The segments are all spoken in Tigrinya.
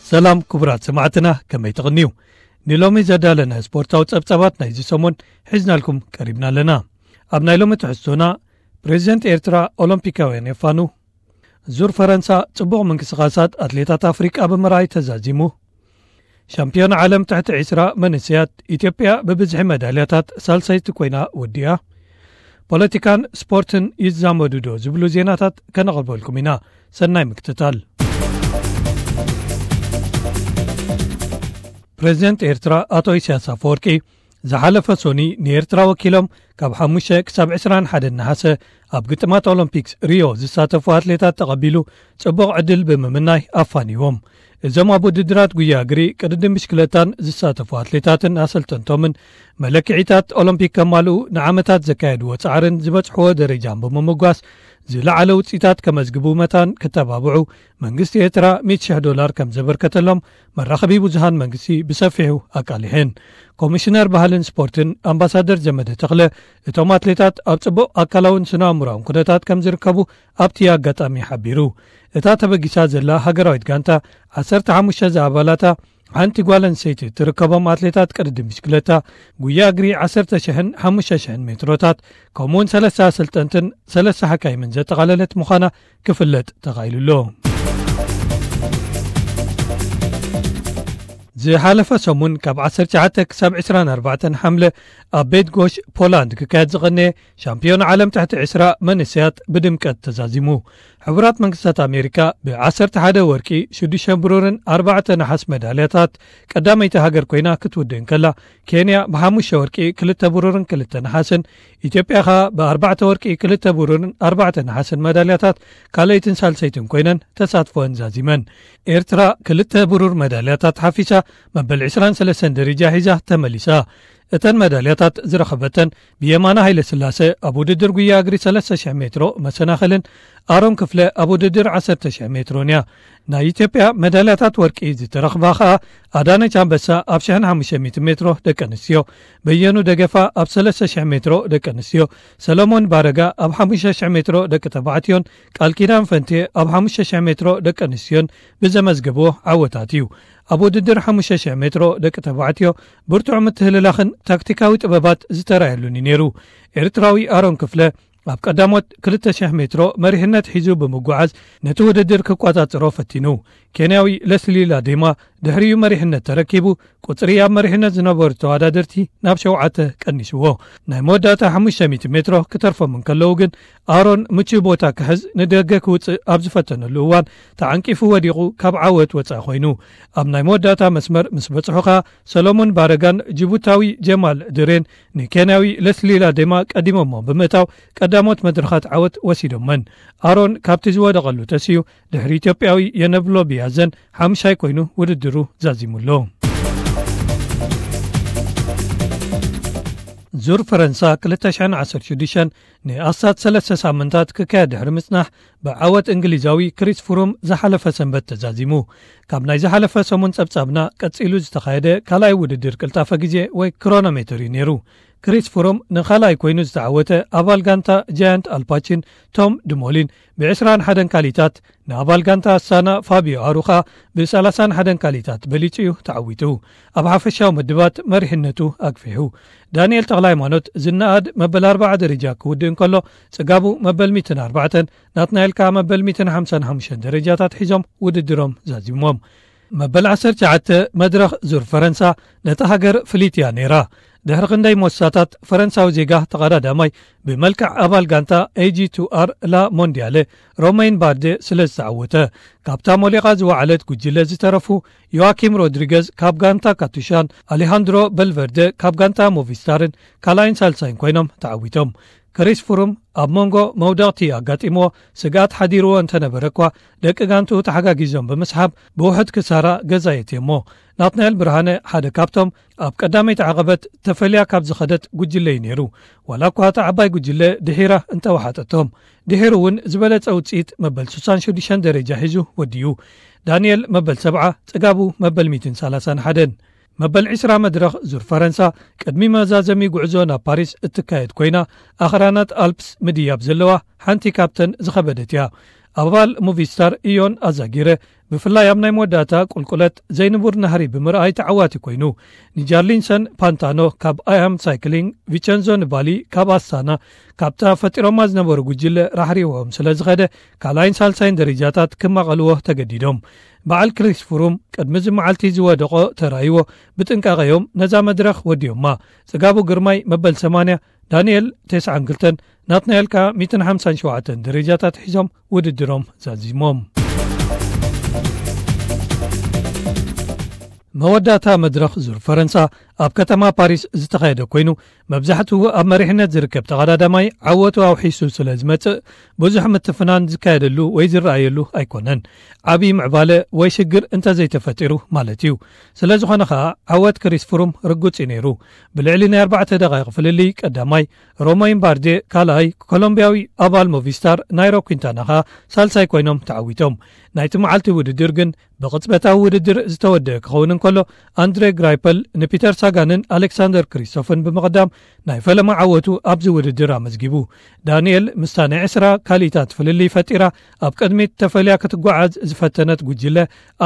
ሰላም ክቡራት ሰማዕትና፣ ከመይ ትቕንዩ? ንሎሚ ዘዳለና ስፖርታዊ ጸብጻባት ናይዚ ሰሙን ሒዝናልኩም ቀሪብና ኣለና። ኣብ ናይ ሎሚ ትሕዝቶና፣ ፕሬዚደንት ኤርትራ ኦሎምፒካውያን የፋኑ፣ ዙር ፈረንሳ ጽቡቕ ምንቅስቓሳት ኣትሌታት ኣፍሪቃ ብምርኣይ ተዛዚሙ፣ ሻምፒዮን ዓለም ትሕቲ ዒስራ መንእሰያት ኢትዮጵያ ብብዝሒ መዳልያታት ሳልሰይቲ ኮይና ወዲኣ፣ ፖለቲካን ስፖርትን ይዛመዱ ዶ ዝብሉ ዜናታት ከነቕርበልኩም ኢና። ሰናይ ምክትታል። ፕሬዚደንት ኤርትራ ኣቶ ኢሳያስ ኣፈወርቂ ዝሓለፈ ሶኒ ንኤርትራ ወኪሎም ካብ ሓሙሽተ ክሳብ ዕስራን ሓደን ነሓሰ ኣብ ግጥማት ኦሎምፒክስ ሪዮ ዝሳተፉ ኣትሌታት ተቐቢሉ ጽቡቕ ዕድል ብምምናይ ኣፋንይዎም። እዞም ኣብ ውድድራት ጉያ እግሪ፣ ቅድድም ብሽክለታን ዝሳተፉ ኣትሌታትን ኣሰልጠንቶምን መለክዒታት ኦሎምፒክ ከማልኡ ንዓመታት ዘካየድዎ ጻዕርን ዝበጽሕዎ ደረጃን ብምምጓስ ዝለዓለ ውጽኢታት ከመዝግቡ መታን ክተባብዑ መንግስቲ ኤርትራ ሚእቲ ሽሕ ዶላር ከም ዘበርከተሎም መራኸቢ ብዙሃን መንግስቲ ብሰፊሑ ኣቃሊሐን። ኮሚሽነር ባህልን ስፖርትን ኣምባሳደር ዘመደ ተኽለ፣ እቶም ኣትሌታት ኣብ ጽቡቕ ኣካላውን ስነ ኣእምሮኣውን ኩነታት ከም ዝርከቡ ኣብቲ ኣጋጣሚ ሓቢሩ። እታ ተበጊሳ ዘላ ሃገራዊት ጋንታ ዓሰርተ ሓሙሽተ ዝኣባላታ ሓንቲ ጓል ኣንስተይቲ እትርከቦም ኣትሌታት ቅድድም ብሽክለታ፣ ጉያ እግሪ ዓሰርተ ሽሕን ሓሙሽተ ሽሕን ሜትሮታት፣ ከምኡውን ሰለስተ ኣሰልጠንትን ሰለስተ ሓካይምን ዘጠቓለለት ምዃና ክፍለጥ ተኻኢሉ ኣሎ። ዝሓለፈ ሰሙን ካብ ዓሰርተ ትሽዓተ ክሳብ ዕስራን ኣርባዕተን ሓምለ ኣብ ቤት ጎሽ ፖላንድ ክካየድ ዝቐነየ ሻምፒዮን ዓለም ትሕቲ ዕስራ መንእሰያት ብድምቀት ተዛዚሙ። ሕቡራት መንግስታት ኣሜሪካ ብ ዓሰርተ ሓደ ወርቂ፣ ሽዱሽተ ብሩርን ኣርባዕተ ነሓስ መዳልያታት ቀዳመይቲ ሃገር ኮይና ክትውድእ እንከላ፣ ኬንያ ብሓሙሽተ ወርቂ፣ ክልተ ብሩርን ክልተ ነሓስን፣ ኢትዮጵያ ኸኣ ብኣርባዕተ ወርቂ፣ ክልተ ብሩርን ኣርባዕተ ነሓስን መዳልያታት ካልኣይትን ሳልሰይትን ኮይነን ተሳትፎአን ዛዚመን። ኤርትራ ክልተ ብሩር መዳልያታት ሓፊሳ መበል ዕስራን ሰለስተን ደረጃ ሒዛ ተመሊሳ። እተን መዳልያታት ዝረኸበተን ብየማነ ሃይለ ስላሰ ኣብ ውድድር ጉያ እግሪ ሰለስተ ሽሕ ሜትሮ መሰናኽልን ኣሮን ክፍለ ኣብ ውድድር ዓሰርተ ሽሕ ሜትሮን እያ። ናይ ኢትዮጵያ መዳልያታት ወርቂ ዝተረኽባ ኸኣ ኣዳነች ኣንበሳ ኣብ ሽሕን ሓሙሽተ ሚእቲ ሜትሮ ደቂ ኣንስትዮ፣ በየኑ ደገፋ ኣብ ሰለስተ ሽሕ ሜትሮ ደቂ ኣንስትዮ፣ ሰለሞን ባረጋ ኣብ ሓሙሽተ ሽሕ ሜትሮ ደቂ ተባዕትዮን ቃል ኪዳን ፈንቴ ኣብ ሓሙሽተ ሽሕ ሜትሮ ደቂ ኣንስትዮን ብዘመዝገብዎ ዓወታት እዩ። ኣብ ውድድር ሓሙሽተ ሽሕ ሜትሮ ደቂ ተባዕትዮ ብርቱዕ ምትህልላኽን ታክቲካዊ ጥበባት ዝተራየሉን እዩ ነይሩ። ኤርትራዊ ኣሮን ክፍለ ኣብ ቀዳሞት ክልተ ሽሕ ሜትሮ መሪሕነት ሒዙ ብምጉዓዝ ነቲ ውድድር ክቆጻጸሮ ፈቲኑ። ኬንያዊ ለስሊ ላዴማ ድሕሪኡ መሪሕነት ተረኪቡ፣ ቁጽሪ ኣብ መሪሕነት ዝነበሩ ተወዳደርቲ ናብ ሸውዓተ ቀኒስዎ። ናይ መወዳእታ ሓሙሽተ ሚእቲ ሜትሮ ክተርፎም እንከለዉ ግን፣ ኣሮን ምቹእ ቦታ ክሕዝ ንደገ ክውጽእ ኣብ ዝፈተነሉ እዋን ተዓንቂፉ ወዲቑ ካብ ዓወት ወጻኢ ኮይኑ። ኣብ ናይ መወዳእታ መስመር ምስ በጽሑ ኸኣ፣ ሰሎሞን ባረጋን ጅቡታዊ ጀማል ድሬን ንኬንያዊ ለስሊ ላዴማ ቀዲሞሞ ብምእታው ቀዳሞት መድረኻት ዓወት ወሲዶመን። ኣሮን ካብቲ ዝወደቐሉ ተሲኡ ድሕሪ ኢትዮጵያዊ የነብሎ ቢያዘን ሓምሻይ ኮይኑ ውድድሩ ዛዚሙ ኣሎ። ዙር ፈረንሳ ክልተ ሽሕን ዓሰርተ ሽዱሽተን ንኣስታት ሰለስተ ሳምንታት ክካየድ ድሕሪ ምጽናሕ፣ ብዓወት እንግሊዛዊ ክሪስ ፍሩም ዝሓለፈ ሰንበት ተዛዚሙ። ካብ ናይ ዝሓለፈ ሰሙን ጸብጻብና ቀጺሉ ዝተኻየደ ካልኣይ ውድድር ቅልጣፈ ግዜ ወይ ክሮኖሜተር እዩ ነይሩ። ክሪስ ፍሩም ንኻልኣይ ኮይኑ ዝተዓወተ ኣባል ጋንታ ጃያንት ኣልፓቺን ቶም ድሞሊን ብዕስራን ሓደን ካሊታት፣ ንኣባል ጋንታ ኣስታና ፋቢዮ ኣሩኻ ብሰላሳን ሓደን ካሊታት በሊጹ እዩ ተዓዊቱ። ኣብ ሓፈሻዊ ምድባት መሪሕነቱ ኣግፊሑ። ዳንኤል ተኽለ ሃይማኖት ዝነኣድ መበል ኣርብዓ ደረጃ ክውድእ እንከሎ፣ ጽጋቡ መበል ሚእትን ኣርባዕተን፣ ናትናኤል ከኣ መበል ሚእትን ሓምሳን ሓሙሽተን ደረጃታት ሒዞም ውድድሮም ዛዚሞም። መበል ዓሰርተ ትሽዓተ መድረኽ ዙር ፈረንሳ ነታ ሃገር ፍልይቲ እያ ነይራ። ድሕሪ ክንደይ ሞሳታት፣ ፈረንሳዊ ዜጋ ተቐዳዳማይ ብመልክዕ ኣባል ጋንታ ኤጂ ቱ ኣር ላ ሞንዲያለ ሮሜን ባርዴ ስለ ዝተዓወተ፣ ካብታ ሞሊቓ ዝወዓለት ጉጅለ ዝተረፉ ዮዋኪም ሮድሪገዝ ካብ ጋንታ ካቱሻን ኣሌሃንድሮ በልቨርደ ካብ ጋንታ ሞቪስታርን ካልኣይን ሳልሳይን ኮይኖም ተዓዊቶም። ክሪስ ፍሩም ኣብ መንጎ መውደቕቲ ኣጋጢምዎ ስግኣት ሓዲርዎ እንተነበረ እኳ፣ ደቂ ጋንትኡ ተሓጋጊዞም ብምስሓብ ብውሑድ ክሳራ ገዛ የእትዮሞ። ናትናኤል ብርሃነ ሓደ ካብቶም ኣብ ቀዳመይቲ ዓቐበት ተፈልያ ካብ ዝኸደት ጉጅለ እዩ ነይሩ። ዋላ እኳ እታ ዓባይ ጉጅለ ድሒራ እንተወሓጠቶም፣ ድሒሩ እውን ዝበለጸ ውጽኢት መበል ስሳን ሽዱሽተን ደረጃ ሒዙ ወዲኡ። ዳንኤል መበል ሰብዓ፣ ጽጋቡ መበል ሚእትን ሰላሳን ሓደን። መበል ዕስራ መድረኽ ዙር ፈረንሳ ቅድሚ መዛዘሚ ጉዕዞ ናብ ፓሪስ እትካየድ ኮይና፣ ኣኽራናት ኣልፕስ ምድያብ ዘለዋ ሓንቲ ካብተን ዝኸበደት እያ። ኣባል ሙቪስታር ኢዮን ኣዛጊረ፣ ብፍላይ ኣብ ናይ መወዳእታ ቁልቁለት ዘይንቡር ናህሪ ብምርኣይ ተዓዋቲ ኮይኑ። ንጃርሊንሰን ፓንታኖ ካብ ኣያም ሳይክሊንግ፣ ቪቸንዞ ንባሊ ካብ ኣስታና፣ ካብታ ፈጢሮማ ዝነበሩ ጉጅለ ራሕሪዎም ስለ ዝኸደ፣ ካልኣይን ሳልሳይን ደረጃታት ክማቐልዎ ተገዲዶም። በዓል ክሪስ ፍሩም ቅድሚ እዚ መዓልቲ ዝወደቖ ተራይዎ፣ ብጥንቃቐ እዮም ነዛ መድረኽ ወዲዮማ። ጽጋቡ ግርማይ መበል ሰማንያ፣ ዳንኤል ተስዓን ክልተን፣ ናትናኤል ከኣ ሚእትን ሓምሳን ሸውዓተን ደረጃታት ሒዞም ውድድሮም ዛዚሞም። መወዳእታ መድረኽ ዙር ፈረንሳ ኣብ ከተማ ፓሪስ ዝተኻየደ ኮይኑ፣ መብዛሕትኡ ኣብ መሪሕነት ዝርከብ ተቐዳዳማይ ዓወቱ ኣውሒሱ ስለ ዝመጽእ፣ ብዙሕ ምትፍናን ዝካየደሉ ወይ ዝረኣየሉ ኣይኮነን። ዓብዪ ምዕባለ ወይ ሽግር እንተዘይተፈጢሩ ማለት እዩ። ስለ ዝኾነ ኸኣ፣ ዓወት ክሪስ ፍሩም ርጉጽ እዩ ነይሩ። ብልዕሊ ናይ ኣርባዕተ ደቓይቕ ፍልልይ ቀዳማይ፣ ሮማይን ባርዴ ካልኣይ፣ ኮሎምቢያዊ ኣባል ሞቪስታር ናይሮ ኲንታና ኸኣ ሳልሳይ ኮይኖም ተዓዊቶም። ናይቲ መዓልቲ ውድድር ግን ብቕጽበታዊ ውድድር ዝተወደአ ክኸውን እንከሎ፣ ኣንድሬ ግራይፐል ንፒተር ሳጋንን ኣሌክሳንደር ክሪስቶፍን ብምቕዳም ናይ ፈለማ ዓወቱ ኣብዚ ውድድር ኣመዝጊቡ። ዳንኤል ምስታ ናይ ዕስራ ካልኢታት ፍልልይ ፈጢራ ኣብ ቅድሚት ተፈልያ ክትጓዓዝ ዝፈተነት ጉጅለ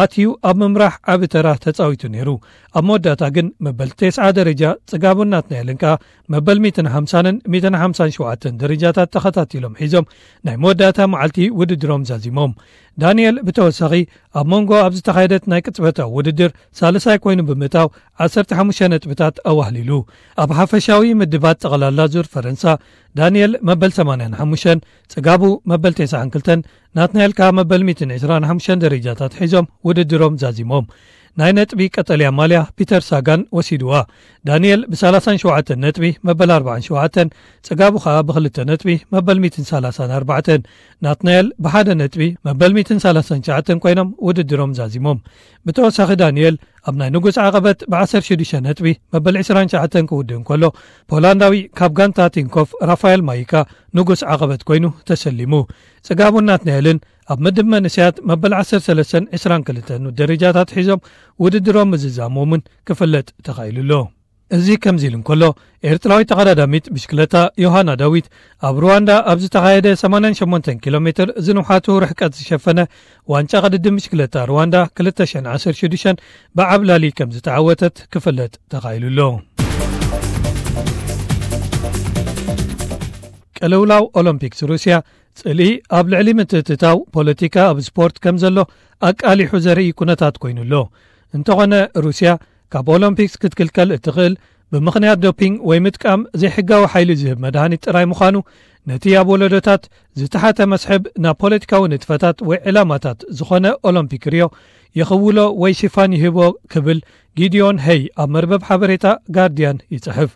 ኣትዩ ኣብ ምምራሕ ዓቢ ተራ ተጻዊቱ ነይሩ። ኣብ መወዳእታ ግን መበል ተስዓ ደረጃ ጽጋቡን ናትናኤልን ከኣ መበል ሚእትን ሓምሳን ሚእትን ሓምሳን ሸውዓተን ደረጃታት ተኸታቲሎም ሒዞም ናይ መወዳእታ መዓልቲ ውድድሮም ዛዚሞም። ዳንኤል ብተወሳኺ ኣብ መንጎ ኣብ ዝተኻየደት ናይ ቅጽበታዊ ውድድር ሳልሳይ ኮይኑ ብምእታው ዓሰርተ ሓሙሽተ ነጥብታት ኣዋህሊሉ። ኣብ ሓፈሻዊ ምድባት ጠቕላላ ዙር ፈረንሳ፣ ዳንኤል መበል ሰማንያን ሓሙሽተን፣ ጽጋቡ መበል ተስዓን ክልተን፣ ናትናኤል ከኣ መበል ሚእትን ዕስራን ሓሙሽተን ደረጃታት ሒዞም ውድድሮም ዛዚሞም። ናይ ነጥቢ ቀጠልያ ማልያ ፒተር ሳጋን ወሲድዋ። ዳንኤል ብሰላሳን ሸውዓተን ነጥቢ መበል ኣርባዓን ሸውዓተን፣ ጽጋቡ ኸኣ ብኽልተ ነጥቢ መበል ሚእትን ሰላሳን ኣርባዕተን፣ ናትናኤል ብሓደ ነጥቢ መበል ሚእትን ሰላሳን ትሽዓተን ኮይኖም ውድድሮም ዛዚሞም። ብተወሳኺ ዳንኤል ኣብ ናይ ንጉስ ዓቐበት ብዓሰርተ ሽዱሽተ ነጥቢ መበል ዕስራን ትሽዓተን ክውድእ እንከሎ፣ ፖላንዳዊ ካብ ጋንታ ቲንኮፍ ራፋኤል ማይካ ንጉስ ዓቐበት ኮይኑ ተሰሊሙ። ጽጋቡን ናትናኤልን ኣብ ምድብ መንእሰያት መበል ዓሰርተ ሰለስተን ዕስራን ክልተን ደረጃታት ሒዞም ውድድሮም ምዝዛሞምን ክፍለጥ ተኻኢሉ ኣሎ። እዚ ከምዚ ኢሉ እንከሎ፣ ኤርትራዊት ተቐዳዳሚት ብሽክለታ ዮሃና ዳዊት ኣብ ሩዋንዳ ኣብ ዝተኻየደ ሰማንያን ሸሞንተን ኪሎ ሜትር ዝንውሓቱ ርሕቀት ዝሸፈነ ዋንጫ ቅድድም ብሽክለታ ሩዋንዳ ክልተ ሽሕን ዓሰርተ ሽዱሽተን ብዓብላሊ ከም ዝተዓወተት ክፍለጥ ተኻኢሉ ኣሎ። ቅልውላው ኦሎምፒክስ ሩስያ፣ ጽልኢ ኣብ ልዕሊ ምትእትታው ፖለቲካ ኣብ ስፖርት ከም ዘሎ ኣቃሊሑ ዘርኢ ኩነታት ኮይኑ ኣሎ። እንተኾነ፣ ሩስያ ካብ ኦሎምፒክስ ክትክልከል እትኽእል ብምኽንያት ዶፒንግ ወይ ምጥቃም ዘይሕጋዊ ሓይሊ ዝህብ መድሃኒት ጥራይ ምዃኑ፣ ነቲ ኣብ ወለዶታት ዝተሓተ መስሕብ ናብ ፖለቲካዊ ንጥፈታት ወይ ዕላማታት ዝኾነ ኦሎምፒክ ሪዮ ይኽውሎ ወይ ሽፋን ይህቦ ክብል ጊዲዮን ሄይ ኣብ መርበብ ሓበሬታ ጋርዲያን ይጽሕፍ።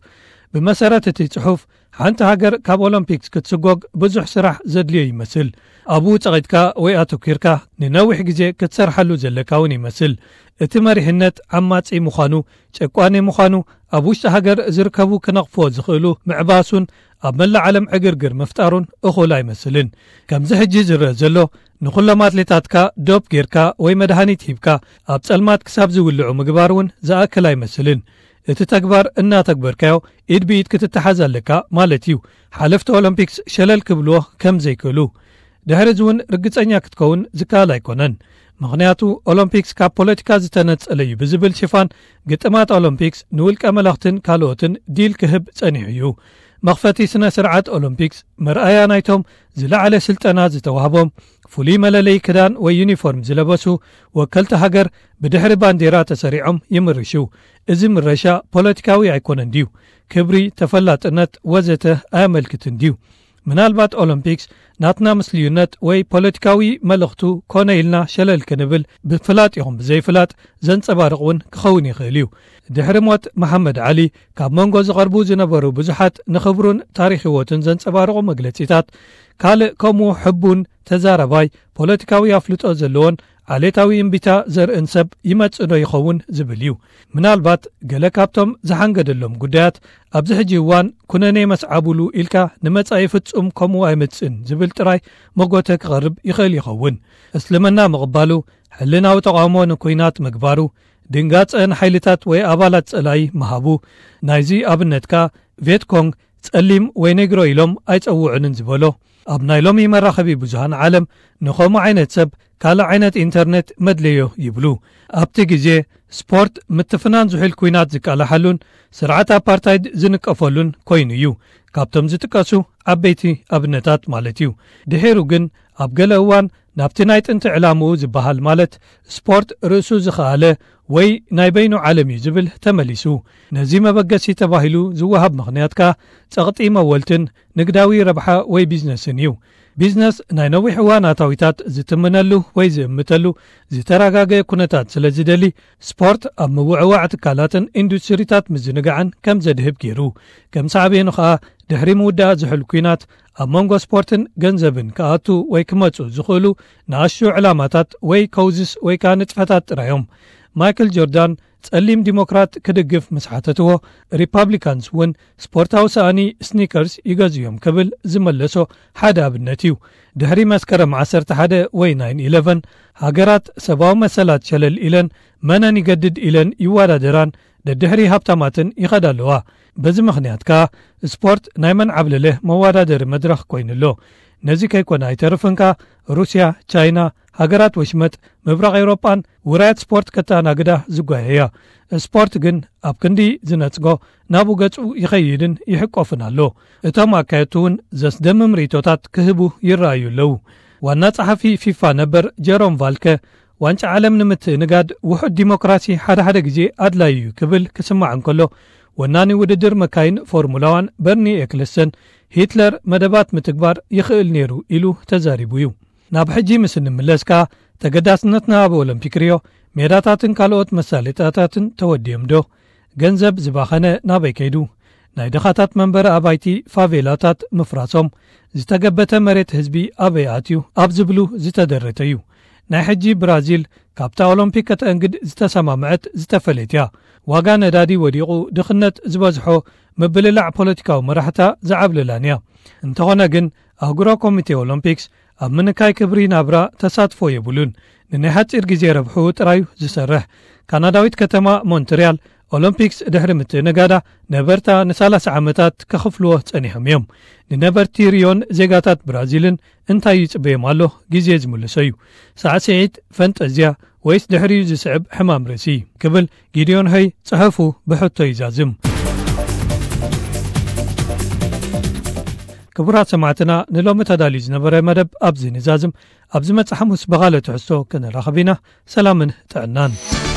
ብመሰረት እቲ ጽሑፍ፣ ሓንቲ ሃገር ካብ ኦሎምፒክስ ክትስጎግ ብዙሕ ስራሕ ዘድልዮ ይመስል። ኣብኡ ጸቒጥካ ወይ ኣተኲርካ ንነዊሕ ግዜ ክትሰርሓሉ ዘለካ እውን ይመስል። እቲ መሪሕነት ዓማጺ ምዃኑ፣ ጨቋኒ ምዃኑ፣ ኣብ ውሽጢ ሃገር ዝርከቡ ክነቕፍዎ ዝኽእሉ ምዕባሱን ኣብ መላእ ዓለም ዕግርግር ምፍጣሩን እኹል ኣይመስልን። ከምዚ ሕጂ ዝረአ ዘሎ፣ ንኹሎም ኣትሌታትካ ዶፕ ጌርካ ወይ መድሃኒት ሂብካ ኣብ ጸልማት ክሳብ ዝውልዑ ምግባር እውን ዝኣክል ኣይመስልን። እቲ ተግባር እናተግበርካዮ ኢድ ብኢድ ክትተሓዝ ኣለካ ማለት እዩ። ሓለፍቲ ኦሎምፒክስ ሸለል ክብልዎ ከም ዘይክእሉ። ድሕሪ እዚ እውን ርግጸኛ ክትከውን ዝከኣል ኣይኮነን። ምኽንያቱ ኦሎምፒክስ ካብ ፖለቲካ ዝተነጸለ እዩ ብዝብል ሽፋን ግጥማት ኦሎምፒክስ ንውልቀ መለኽትን ካልኦትን ዲል ክህብ ጸኒሑ እዩ። መኽፈቲ ስነ ስርዓት ኦሎምፒክስ መርኣያ ናይቶም ዝለዓለ ስልጠና ዝተዋህቦም ፍሉይ መለለይ ክዳን ወይ ዩኒፎርም ዝለበሱ ወከልቲ ሃገር ብድሕሪ ባንዴራ ተሰሪዖም ይምርሹ። እዚ ምረሻ ፖለቲካዊ ኣይኮነን ድዩ? ክብሪ፣ ተፈላጥነት ወዘተ ኣየመልክትን ድዩ? ምናልባት ኦሎምፒክስ ናትና ምስልዩነት ወይ ፖለቲካዊ መልእኽቱ ኮነ ኢልና ሸለል ክንብል ብፍላጥ ይኹን ብዘይፍላጥ ዘንጸባርቕ እውን ክኸውን ይኽእል እዩ። ድሕሪ ሞት መሓመድ ዓሊ ካብ መንጎ ዝቐርቡ ዝነበሩ ብዙሓት ንኽብሩን ታሪኽ ህይወቱን ዘንጸባርቑ መግለጺታት ካልእ ከምኡ ሕቡን ተዛራባይ ፖለቲካዊ ኣፍልጦ ዘለዎን ዓሌታዊ እምቢታ ዘርእን ሰብ ይመጽእ ዶ ይኸውን ዝብል እዩ። ምናልባት ገለ ካብቶም ዝሓንገደሎም ጉዳያት ኣብዚ ሕጂ እዋን ኩነኔ መስዓቡሉ ኢልካ ንመጻኢ ፍጹም ከምኡ ኣይመጽእን ዝብል ጥራይ መጎተ ክቐርብ ይኽእል ይኸውን። እስልምና ምቕባሉ፣ ሕልናዊ ተቓውሞ ንኲናት ምግባሩ፣ ድንጋጸ ንሓይልታት ወይ ኣባላት ጸላኢ ምሃቡ፣ ናይዚ ኣብነት ከኣ ቬትኮንግ ጸሊም ወይ ኔግሮ ኢሎም ኣይጸውዑንን ዝበሎ፣ ኣብ ናይ ሎሚ መራኸቢ ብዙሃን ዓለም ንኸምኡ ዓይነት ሰብ ካልእ ዓይነት ኢንተርኔት መድለዮ ይብሉ። ኣብቲ ግዜ ስፖርት ምትፍናን ዝሑል ኲናት ዝቃላሓሉን ስርዓት ኣፓርታይድ ዝንቀፈሉን ኮይኑ እዩ፣ ካብቶም ዝጥቀሱ ዓበይቲ ኣብነታት ማለት እዩ። ድሒሩ ግን ኣብ ገለ እዋን ናብቲ ናይ ጥንቲ ዕላምኡ ዝበሃል ማለት ስፖርት ርእሱ ዝኸኣለ ወይ ናይ በይኑ ዓለም እዩ ዝብል ተመሊሱ። ነዚ መበገሲ ተባሂሉ ዝወሃብ ምኽንያት ከኣ ጸቕጢ መወልትን ንግዳዊ ረብሓ ወይ ቢዝነስን እዩ። ቢዝነስ ናይ ነዊሕ እዋን ኣታዊታት ዝትምነሉ ወይ ዝእምተሉ ዝተረጋገ ኩነታት ስለ ዝደሊ፣ ስፖርት ኣብ ምውዕዋዕ ትካላትን ኢንዱስትሪታት ምዝንጋዕን ከም ዘድህብ ገይሩ። ከም ሳዕቤኑ ከኣ ድሕሪ ምውዳእ ዝሑል ኲናት ኣብ መንጎ ስፖርትን ገንዘብን ክኣቱ ወይ ክመጹ ዝኽእሉ ንኣሽቱ ዕላማታት ወይ ኮዝስ ወይ ከኣ ንጥፈታት ጥራዮም። ማይክል ጆርዳን ጸሊም ዲሞክራት ክድግፍ ምስ ሓተትዎ፣ ሪፓብሊካንስ እውን ስፖርታዊ ሰኣኒ ስኒከርስ ይገዝኡ እዮም ክብል ዝመለሶ ሓደ ኣብነት እዩ። ድሕሪ መስከረም ዓሰርተ ሓደ ወይ ናይን ኢለቨን፣ ሃገራት ሰብኣዊ መሰላት ሸለል ኢለን መነን ይገድድ ኢለን ይወዳደራን ደድሕሪ ሃብታማትን ይኸዳ ኣለዋ። በዚ ምኽንያት ከኣ ስፖርት ናይ መን ዓብለለ መወዳደሪ መድረኽ ኮይኑ ኣሎ። ነዚ ከይኮነ ኣይተርፍን ከኣ ሩስያ፣ ቻይና፣ ሃገራት ወሽመጥ፣ ምብራቕ ኤውሮጳን ውራያት ስፖርት ከተኣናግዳ ዝጓየያ። ስፖርት ግን ኣብ ክንዲ ዝነጽጎ ናብኡ ገጹ ይኸይድን ይሕቆፍን ኣሎ። እቶም ኣካየድቲ እውን ዘስደምም ርእይቶታት ክህቡ ይረኣዩ ኣለዉ። ዋና ጸሓፊ ፊፋ ነበር ጀሮም ቫልከ ዋንጫ ዓለም ንምትእንጋድ ውሑድ ዲሞክራሲ ሓደ ሓደ ግዜ ኣድላዩ እዩ ክብል ክስማዕ እንከሎ፣ ወናኒ ውድድር መካይን ፎርሙላ ዋን በርኒ ኤክለስተን ሂትለር መደባት ምትግባር ይኽእል ነይሩ ኢሉ ተዛሪቡ እዩ። ናብ ሕጂ ምስ እንምለስ ከኣ ተገዳስነትና ኣብ ኦሎምፒክ ሪዮ ሜዳታትን ካልኦት መሳለጥያታትን ተወዲዮም ዶ? ገንዘብ ዝባኸነ ናበይ ከይዱ? ናይ ድኻታት መንበሪ ኣባይቲ ፋቬላታት ምፍራሶም፣ ዝተገበተ መሬት ህዝቢ ኣበይ ኣትዩ ኣብ ዝብሉ ዝተደረተ እዩ። ናይ ሕጂ ብራዚል ካብታ ኦሎምፒክ ከተእንግድ ዝተሰማምዐት ዝተፈለየት እያ። ዋጋ ነዳዲ ወዲቑ ድኽነት ዝበዝሖ ምብልላዕ ፖለቲካዊ መራሕታ ዝዓብለላን እያ። እንተኾነ ግን ኣህጉራዊ ኮሚቴ ኦሎምፒክስ ኣብ ምንካይ ክብሪ ናብራ ተሳትፎ የብሉን። ንናይ ሓጺር ግዜ ረብሑ ጥራዩ ዝሰርሕ። ካናዳዊት ከተማ ሞንትርያል ኦሎምፒክስ ድሕሪ ምትእንጋዳ ነበርታ ንሰላሳ ዓመታት ከኽፍልዎ ጸኒሖም እዮም። ንነበርቲ ሪዮን ዜጋታት ብራዚልን እንታይ ይጽበዮም ኣሎ ግዜ ዝምልሶ እዩ። ሳዕስዒት፣ ፈንጠዝያ ወይስ ድሕሪኡ ዝስዕብ ሕማም ርእሲ ክብል ጊድዮን ሀይ ጽሑፉ ብሕቶ ይዛዝም። ክቡራት ሰማዕትና ንሎሚ ተዳልዩ ዝነበረ መደብ ኣብዚ ንዛዝም። ኣብ ዝመጽእ ሓሙስ ብኻልእ ትሕዝቶ ክንራኸብ ኢና። ሰላምን ጥዕናን።